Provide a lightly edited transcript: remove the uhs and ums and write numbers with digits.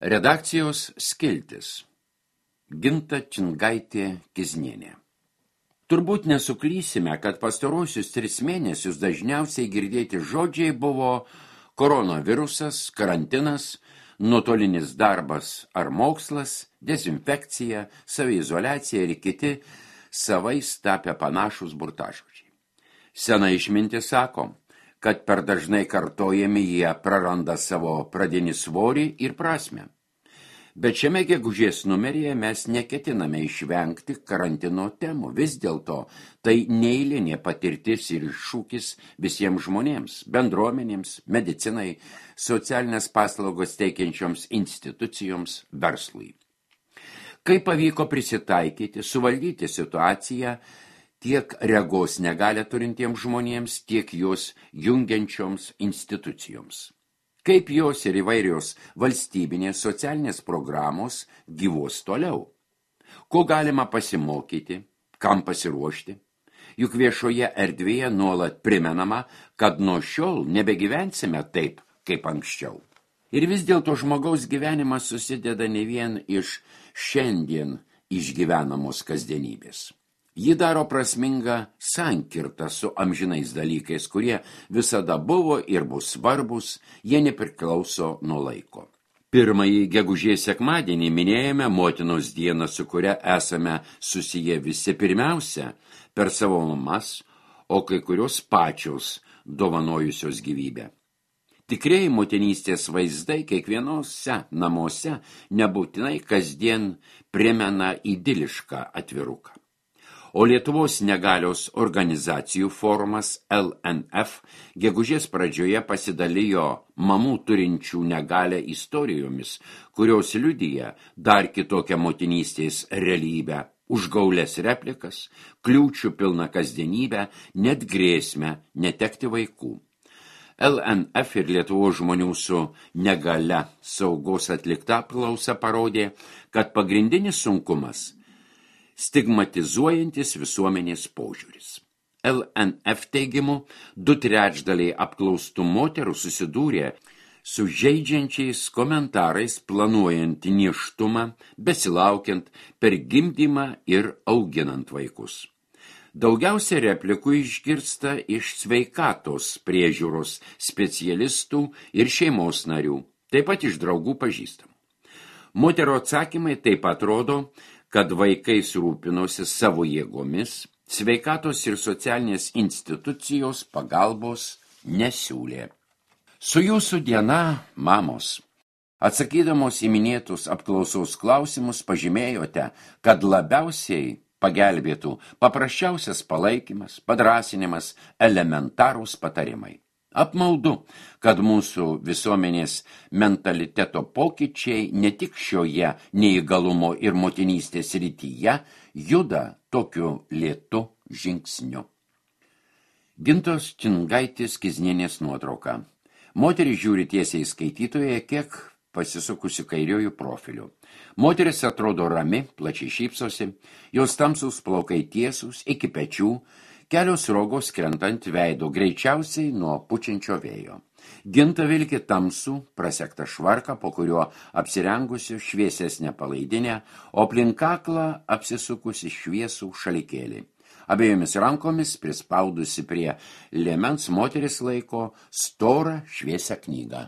Redakcijos skiltis. Ginta Čingaitė-Kiznienė. Turbūt nesuklysime, kad pastarosius 3 mėnesius dažniausiai girdėti žodžiai buvo koronavirusas, karantinas, nuotolinis darbas ar mokslas, dezinfekcija, saviizoliacija ir kiti savais tapę panašus burtažodžiai. Sena išmintis sako, kad per dažnai kartojami jie praranda savo pradinį svorį ir prasmę. Bet šiame gegužės numeryje mes neketiname išvengti karantino temų. Vis dėlto tai neeilinė patirtis ir iššūkis visiems žmonėms, bendruomenėms, medicinai, socialinės paslaugos teikiančioms institucijoms, verslui. Kaip pavyko prisitaikyti, suvaldyti situaciją tiek regos negalią turintiems žmonėms, tiek jos jungiančioms institucijoms. Kaip jos ir įvairios valstybinės socialinės programos gyvuos toliau. Ko galima pasimokyti, kam pasiruošti? Juk viešoje erdvėje nuolat primenama, kad nuo šiol nebegyvensime taip, kaip anksčiau. Ir vis dėlto žmogaus gyvenimas susideda ne vien iš šiandien išgyvenamos kasdienybės. Ji daro prasmingą sankirtą su amžinais dalykais, kurie visada buvo ir bus svarbus, jie nepriklauso nuo laiko. Pirmąjį gegužės sekmadienį minėjome motinos dieną, su kuria esame susiję visi pirmiausia per savo mamas, o kai kurios pačios dovanojusios gyvybę. Tikrieji motinystės vaizdai kiekvienose namuose nebūtinai kasdien primena idilišką atviruką. O Lietuvos negalios organizacijų forumas LNF gegužės pradžioje pasidalijo mamų turinčių negalią istorijomis, kurios liudija dar kitokią motinystės realybę, užgaulės replikas, kliūčių pilną kasdienybę, net grėsmę netekti vaikų. LNF ir Lietuvos žmonių su negalia saugos atlikta apklausa parodė, kad pagrindinis sunkumas – stigmatizuojantis visuomenės požiūris. LNF teigimu, 2/3 apklaustų moterų susidūrė su žeidžiančiais komentarais planuojant nėštumą, besilaukiant, per gimdymą ir auginant vaikus. Daugiausia replikų išgirsta iš sveikatos priežiūros specialistų ir šeimos narių, taip pat iš draugų pažįstamų. Moterų atsakymai taip pat rodo, kad vaikais rūpinosi savo jėgomis, sveikatos ir socialinės institucijos pagalbos nesiūlė. Su jūsų diena, mamos. Atsakydamos į minėtus apklausos klausimus pažymėjote, kad labiausiai pagelbėtų paprasčiausias palaikymas, padrąsinimas, elementarūs patarimai. Apmaudu, kad mūsų visuomenės mentaliteto pokyčiai ne tik šioje neįgalumo ir motinystės rytyje juda tokiu lėtu žingsniu. Gintos Čingaitės-Kiznienės nuotrauka. Moteris žiūri tiesiai skaitytoje, kiek pasisukusi kairiojų profiliu. Moteris atrodo rami, plačiai šypsosi, jos tamsūs plaukai tiesūs iki pečių, kelios rogos krentant veido greičiausiai nuo pučiančio vėjo. Ginta vilki tamsų, prasektą švarką, po kuriuo apsirengusi šviesesnę palaidinę, o aplink kaklą apsisukusi šviesų šalikėlį. Abiejomis rankomis prispaudusi prie liemens moteris laiko storą šviesią knygą.